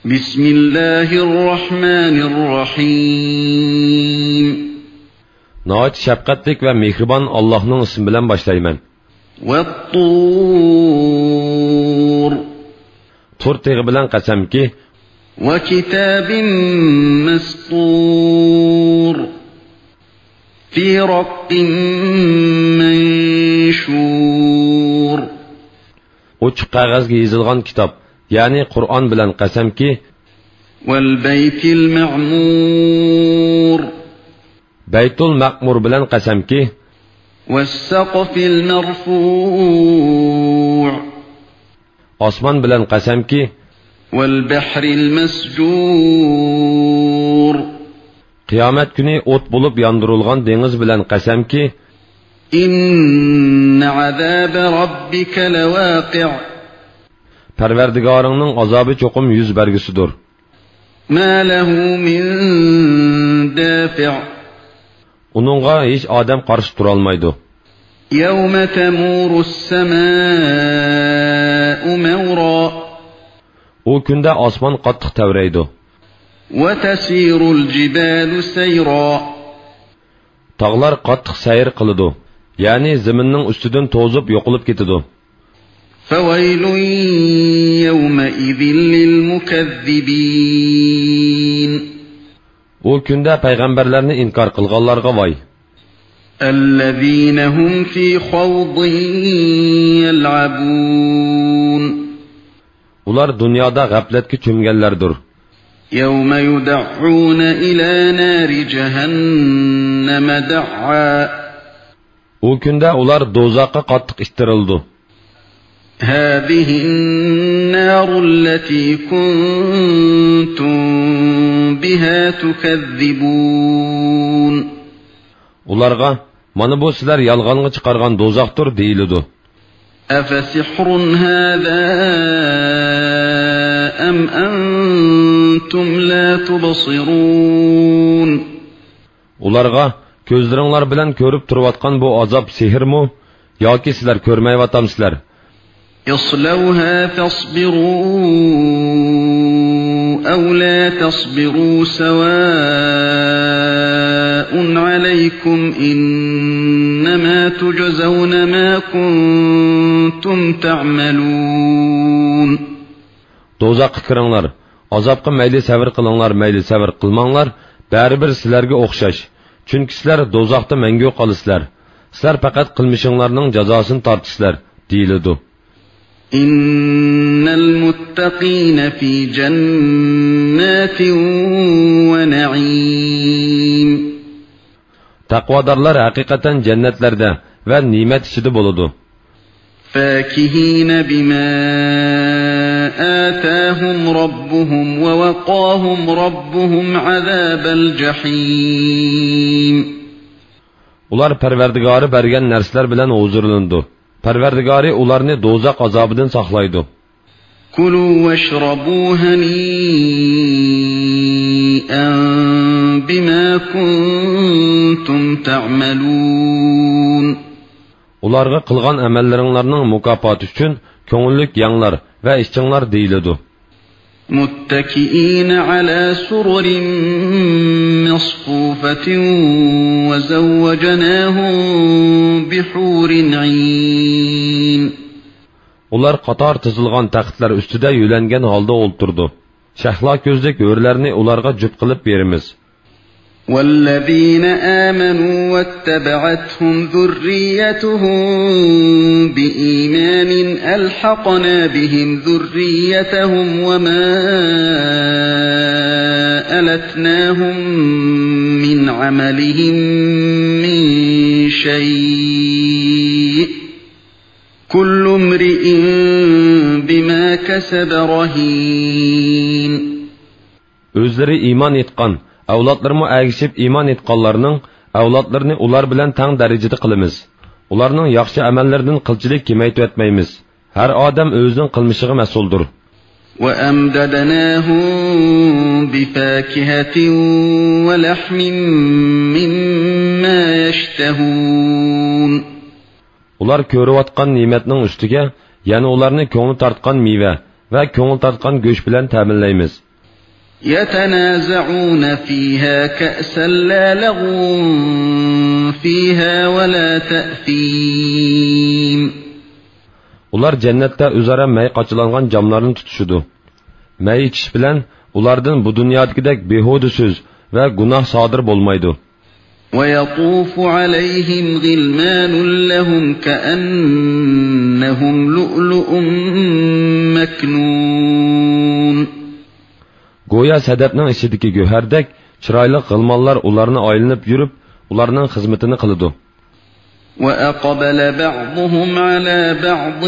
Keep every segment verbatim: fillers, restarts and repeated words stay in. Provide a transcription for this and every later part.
بسم الله الرحمن الرحيم. ناھايىتى شەپقەتلىك ۋە مېھرىبان ئاللاھنىڭ ئىسمى بىلەن باشلايمەن. والطور. تۇر تېغى بىلەن قەسەمكى. وكتاب مسطور. في رق منشور. ئوچۇق قەغەزگە يېزىلغان كىتاب، يەنى قۇرئان بىلەن قەسەمكى. والبيت المعمور. بەيتۇل مەئمۇر بىلەن قەسەمكى. والسقف المرفوع. ئاسمان بىلەن قەسەمكى. والبحر المسجور. قىيامەت كۈنى ئوت بولۇپ ياندۇرۇلغان دېڭىز بىلەن قەسەمكى. إن عذاب ربك لواقع. پەرۋەردىگارىڭنىڭ ئازابى چوقۇم يۈز بەرگۈسىدۇر. ما له من دافع. ئۇنىڭغا ھېچ ئادەم قارشى تۇرالمايدۇ. يوم تمور السماء مورا. ئۇ كۈندە ئاسمان قاتتىق تەۋرەيدۇ. وتسير الجبال سيرا. تاغلار قاتتىق سەير قىلىدۇ، يەنى زېمىننىڭ ئۈستىدىن توزۇپ يوقىلىپ كېتىدۇ. فويل يومئذ للمكذبين. ئۇ كۈندە پەيغەمبەرلەرنى ئىنكار قىلغانلارغا ۋاي! الذين هم في خوض يلعبون. ئۇلار دۇنيادا غەپلەتكە چۆمگەنلەردۇر. يوم يدعون إلى نار جهنم دعا. ئۇ كۈندە ئۇلار دوزاخقا قاتتىق ئىتتىرىلىدۇ. هذه النار التي كنتم بها تكذبون. ئۇلارغا، مانا بۇ سىلەر يالغانغا چىقارغان دوزاختۇر، دېيىلىدۇ. أفسحر هذا أم أنتم لا تبصرون. ئۇلارغا، كۆزلىرىڭلار بىلەن كۆرۈپ تۇرۇۋاتقان بۇ ئازاب سېھىرمۇ ياكى سىلەر كۆرمەيۋاتامسىلەر؟ اصلوها فاصبروا أو لا تصبروا سواء عليكم إنما تجزون ما كنتم تعملون. دوزاخقا كىرىڭلار. ئازابقا مەيلى سەۋر قىلىڭلار، مەيلى سەۋر قىلماڭلار، بەرىبىر سىلەرگە ئوخشاش. چۈنكى سىلەر دوزاختا مەڭگۈ قالىسىلەر. سىلەر پەقەت قىلمىشىڭلارنىڭ جازاسىنى تارتىسىلەر، دېيىلىدۇ. إن المتقين في جنات ونعيم. تەقۋادارلار ھەقىقەتەن جەننەتلەردە ۋە نېمەت ئىچىدە بولىدۇ. فاكهين بما آتاهم ربهم ووقاهم ربهم عذاب الجحيم. ئۇلار پەرۋەردىگارى بەرگەن نەرسىلەر بىلەن ھۇزۇرلىنىدۇ. پەرۋەردىگارى ئۇلارنى دوزاخ ئازابىدىن ساقلايدۇ. كلوا واشربوا هنيئا بما كنتم تعملون. ئۇلارغا قىلغان ئەمەللىرىڭلارنىڭ مۇكاپاتى ئۈچۈن كۆڭۈللۈك يەڭلار ۋە ئىچىڭلار دېيىلىدۇ. متكئين على سرر مصفوفة وزوجناهم بحور عين. ئۇلار قاتار تىزىلغان تەختلەر ئۈستىدە يۆلەنگەن ھالدا ئولتۇرىدۇ. شەھلا كۆزلۈك ھۆرلەرنى ئۇلارغا جۈپ قىلىپ بېرىمىز. والذين آمنوا واتبعتهم ذريتهم بإيمان ألحقنا بهم ذريتهم وما ألتناهم من عملهم من شيء كل امرئ بما كسب رهين. ئۆزلىرى ئىمان ئېيتقان، ئەۋلادلىرىمۇ ئەگىشىپ ئىمان ئېيتقانلارنىڭ ئەۋلادلىرىنى ئۇلار بىلەن تەڭ دەرىجىدە قىلىمىز. ئۇلارنىڭ ياخشى ئەمەللىرىدىن قىلچىلىك كېمەيتىۋەتمەيمىز. ھەر ئادەم ئۆزىنىڭ قىلمىشىغا مەسئۇلدۇر. وأمددناهم بفاكهة ولحم مما يشتهون. ئۇلار كۆرۈۋاتقان نېمەتنىڭ ئۈستىگە يەنە ئۇلارنى كۆڭلى تارتقان مېۋە ۋە كۆڭۈل تارتقان گۆش بىلەن تەمىنلەيمىز. يتنازعون فيها كأسا لا لغو فيها ولا تأثيم. ئۇلار جەننەتتە ئۆزئارا مەي قاچىلانغان جاملارنى تۇتۇشىدۇ. مەي ئىچىش بىلەن ئۇلاردىن بۇ دۇنيادىكىدەك بىھۇدە سۆز ۋە گۇناھ سادىر بولمايدۇ. ويطوف عليهم غلمان لهم كأنهم لؤلؤ مكنون. گويا سەدەپنىڭ ئىچىدىكى گۆھەردەك چىرايلىق غىلمانلار ئۇلارنى ئايلىنىپ يۈرۈپ، ئۇلارنىڭ خىزمىتىنى قىلىدۇ. وأقبل بعضهم على بعض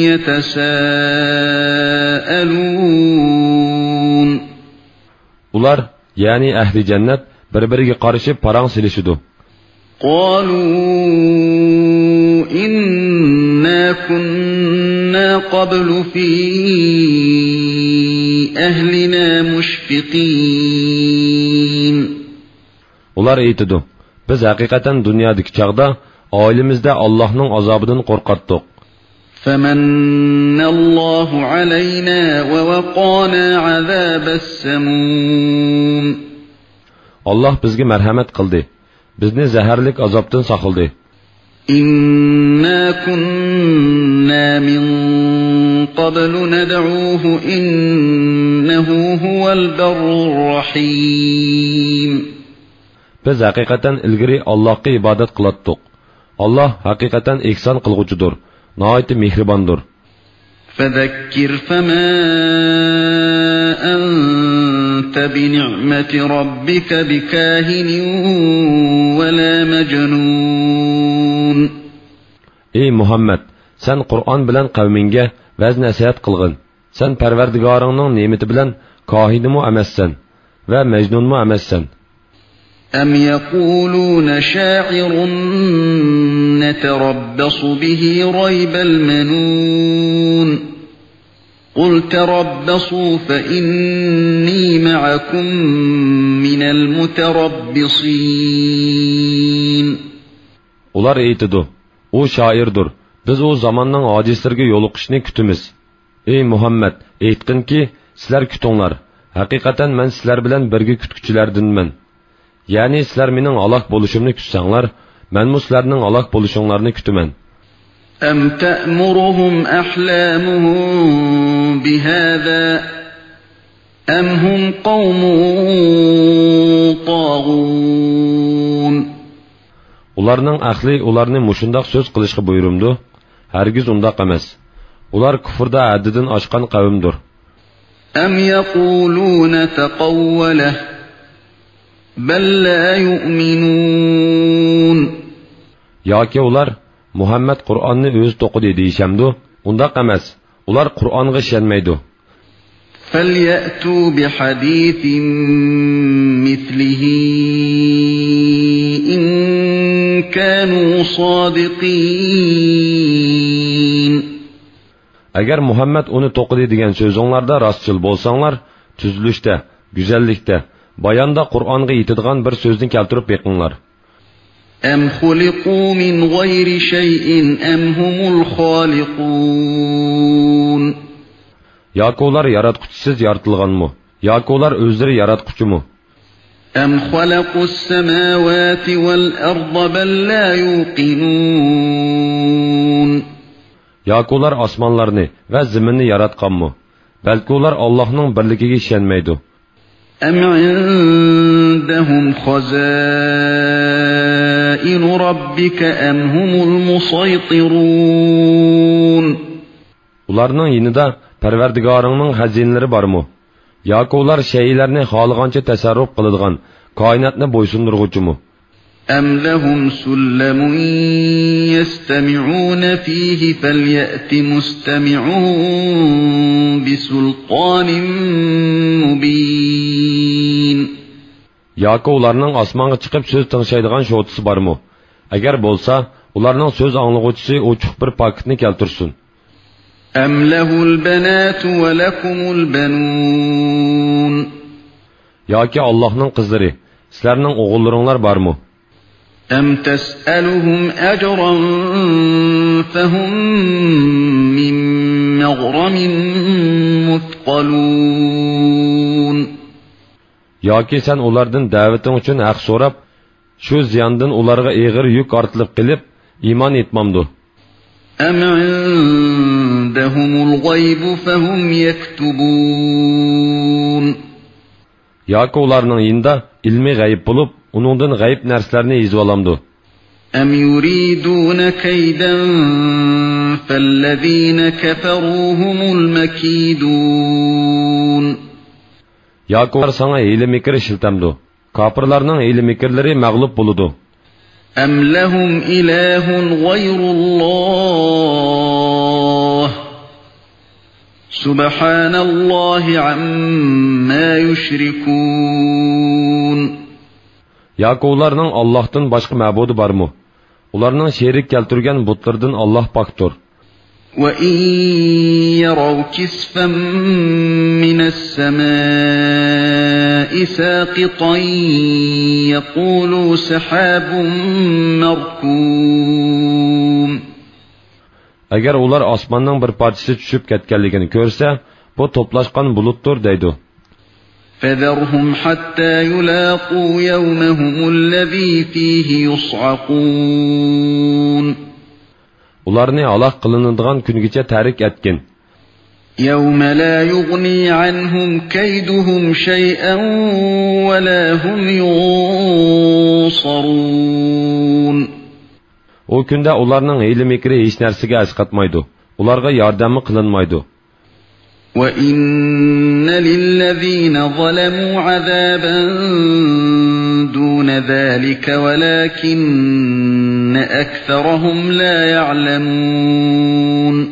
يتساءلون. ئۇلار، يەنى ئەھلى جەننەت، بىر-بىرىگە قارىشىپ پاراڭ سېلىشىدۇ. قالوا إنا كنا قبل في أهلنا مشفقين. ئۇلار ئېيتىدۇ، بىز ھەقىقەتەن دۇنيادىكى چاغدا ئائىلىمىزدە ئاللاھنىڭ ئازابىدىن قورقاتتۇق. فمن الله علينا ووقانا عذاب السموم. ئاللاھ بىزگە مەرھەمەت قىلدى، بىزنى زەھەرلىك ئازابتىن ساقلىدى. إنا كنا من قبل ندعوه إنه هو البر الرحيم. بىز ھەقىقەتەن ئىلگىرى ئاللاھقا ئىبادەت قىلاتتۇق. ئاللاھ ھەقىقەتەن ئېھسان قىلغۇچىدۇر، ناھايىتى مېھرىباندۇر. فذكر فما أنت بنعمة ربك بكاهن ولا مجنون. ئەي مۇھەممەد، سەن قۇرئان بىلەن قەۋمىڭگە ۋەز-نەسىھەت قىلغىن. سەن پەرۋەردىگارىڭنىڭ نېمىتى بىلەن كاھىنمۇ ئەمەسسەن ۋە مەجنۇنمۇ ئەمەسسەن. أم يقولون شاعر نتربص به ريب المنون. قل تربصوا فإني معكم من المتربصين. ئۇلار ئېيتىدۇ، ئۇ شائىردۇر، بىز ئۇ زاماننىڭ ھادىسىلىرىگە يولۇقۇشنى كۈتىمىز. ئەي مۇھەممەد، ئېيتقىنكى، سىلەر كۈتۈڭلار، ھەقىقەتەن مەن سىلەر بىلەن بىرگە كۈتكۈچىلەردىنمەن. يەنى سىلەر مېنىڭ ھالاك بولۇشۇمنى كۈتسەڭلار، مەنمۇ سىلەرنىڭ ھالاك بولۇشۇڭلارنى كۈتىمەن. أم تأمرهم أحلامهم بهذا أم هم قوم طاغون. ئۇلارنىڭ ئەقلى ئۇلارنى مۇشۇنداق سۆز قىلىشقا بۇيرۇمدۇ؟ ھەرگىز ئۇنداق ئەمەس. ئۇلار كۇفردا ھەددىدىن ئاشقان قەۋمدۇر. أم يقولون تقوله بل لا يؤمنون. ياكى ئۇلار مۇھەممەد قۇرئاننى ئۆزى توقۇدى دېيىشەمدۇ؟ ئۇنداق ئەمەس. ئۇلار قۇرئانغا ئىشەنمەيدۇ. فليأتوا بحديث مثله إن كانوا صادقين. ئەگەر مۇھەممەد ئۇنى توقۇدى دېگەن سۆزۈڭلاردا راستچىل بولساڭلار، تۈزۈلۈشتە، گۈزەللىكتە، باياندا قۇرئانغا يېتىدىغان بىر سۆزنى كەلتۈرۈپ بېقىڭلار. أم خلقوا من غير شيء أم هم الخالقون. ياكى ئۇلار ياراتقۇچىسىز يارىتىلغانمۇ؟ ياكى ئۇلار ئۆزلىرى ياراتقۇچىمۇ؟ أم خلقوا السماوات والأرض بل لا يوقنون. ياكى ئۇلار ئاسمانلارنى ۋە زېمىننى ياراتقانمۇ؟ بەلكى ئۇلار ئاللاھنىڭ بىرلىكىگە ئىشەنمەيدۇ. أم عندهم خزائن ربك أم هم المسيطرون. ئۇلارنىڭ يېنىدا پەرۋەردىگارىڭنىڭ خەزىنىلىرى بارمۇ؟ ياكى ئۇلار شەيئىلەرنى خالىغانچە تەسەررۇپ قىلىدىغان، كائىناتنى بويسۇندۇرغۇچىمۇ؟ أم لهم سلم يستمعون فيه فليأت مستمعهم بسلطان مبين. ياكى ئۇلارنىڭ ئاسمانغا چىقىپ سۆز تىڭشايدىغان شوتىسى بارمۇ؟ ئەگەر بولسا، ئۇلارنىڭ سۆز ئاڭلىغۇچىسى ئوچۇق بىر پاكىتنى كەلتۈرسۇن. أم له البنات ولكم البنون. ياكى ئاللاھنىڭ قىزلىرى، سىلەرنىڭ ئوغۇللىرىڭلار بارمۇ؟ أم تسألهم أجرا فهم من مغرم مثقلون. ياكى سەن ئۇلاردىن دەۋىتىڭ ئۈچۈن ھەق سوراپ، شۇ زىياندىن ئۇلارغا ئېغىر يۈك ئارتىلىپ قېلىپ، ئىمان ئېيتمامدۇ؟ أَمْ عِندَهُمُ الْغَيْبُ فَهُمْ يَكْتُبُونَ. ياكى ئۇلارنىڭ يېنىدا ئىلمى غەيىب بولۇپ، ئۇنىڭدىن غەيىب نەرسىلەرنى يېزىۋالامدۇ؟ أَمْ يُرِيدُونَ كَيْدًا فَالَّذِينَ كَفَرُوا هُمُ الْمَكِيدُونَ. ياكى ئۇلار ساڭا ھىيلە-مىكىر ئىشلىتەمدۇ؟ كاپىرلارنىڭ ھىيلە-مىكىرلىرى مەغلۇپ بولىدۇ. أَمْ لَهُمْ إِلَٰهٌ غَيْرُ اللَّهِ سُبْحَانَ اللَّهِ عَمَّا يُشْرِكُونَ. ياكى ئۇلارنىڭ ئاللاھتىن باشقا مەبۇدى بارمۇ؟ ئۇلارنىڭ شېرىك كەلتۈرگەن بۇتلىرىدىن ئاللاھ پاكتۇر. وَإِن يَرَوْا كِسْفًا مِّنَ السَّمَاءِ سَاقِطًا يَقُولُوا سَحَابٌ مَّرْكُومٌ. ئەگەر ئۇلار ئاسماننىڭ بىر پارچىسى چۈشۈپ كەتكەنلىكىنى كۆرسە، بۇ توپلاشقان بۇلۇتتۇر، دەيدۇ. فَذَرْهُمْ حَتَّىٰ يُلَاقُوا يَوْمَهُمُ الَّذِي فِيهِ يُصْعَقُونَ. ئۇلارنى ھالاك قىلىنىدىغان كۈنگىچە تەرك ئەتكىن. يَوْمَ لَا يُغْنِي عَنْهُمْ كَيْدُهُمْ شَيْئًا وَلَا هُمْ يُنصَرُونَ. ئۇ كۈندە ئۇلارنىڭ ھىيلە-مىكرى ھېچ نەرسىگە ئەسقاتمايدۇ، ئۇلارغا ياردەممۇ قىلىنمايدۇ. وَإِنَّ لِلَّذِينَ ظَلَمُوا عَذَابًا دُونَ ذَٰلِكَ وَلَٰكِنَّ أَكْثَرَهُمْ لَا يَعْلَمُونَ.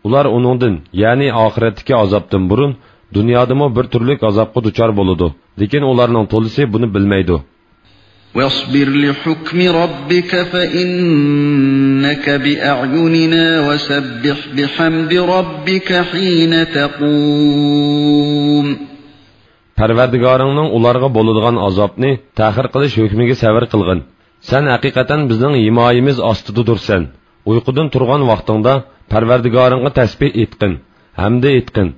ئۇلار ئۇنىڭدىن، يەنى ئاخىرەتتىكى ئازابتىن بۇرۇن، دۇنيادىمۇ بىر تۈرلۈك ئازابقا دۇچار بولىدۇ، لېكىن ئۇلارنىڭ تولىسى بۇنى بىلمەيدۇ. وَاصْبِرْ لِحُكْمِ رَبِّكَ فَإِنَّكَ بِأَعْيُنِنَا وَسَبِّحْ بِحَمْدِ رَبِّكَ حِينَ تَقُومُ. پەرۋەردىگارىڭنىڭ ئۇلارغا بولىدىغان ئازابنى تەخىر قىلىش ھۆكمىگە سەۋر قىلغىن. سەن ھەقىقەتەن بىزنىڭ ھىمايىمىز ئاستىدىدۇرسەن. ئۇيقۇدىن تۇرغان ۋاقتىڭدا پەرۋەردىگارىڭغا تەسبىھ ئېيتقىن، ھەمدە ئېيتقىن.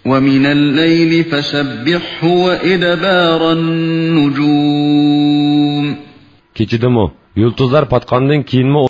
وَمِنَ اللَّيْلِ فَسَبِّحْهُ وَإِدْبَارَ النُّجُومِ. كېچىدىمۇ، يۇلتۇزلار پاتقاندىن كېيىنمۇ